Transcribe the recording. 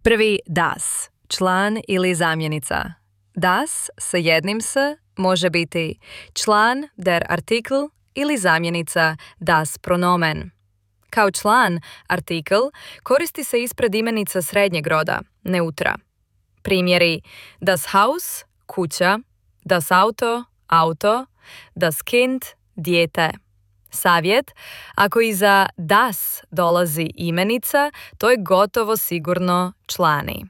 Prvi das, član ili zamjenica. Das sa jednim s može biti član der Artikel ili zamjenica das Pronomen. Kao član, artikel koristi se ispred imenica srednjeg roda, neutra. Primjeri das Haus, kuća, das Auto, auto, das Kind, dijete. Savjet, ako iza das dolazi imenica, to je gotovo sigurno člani.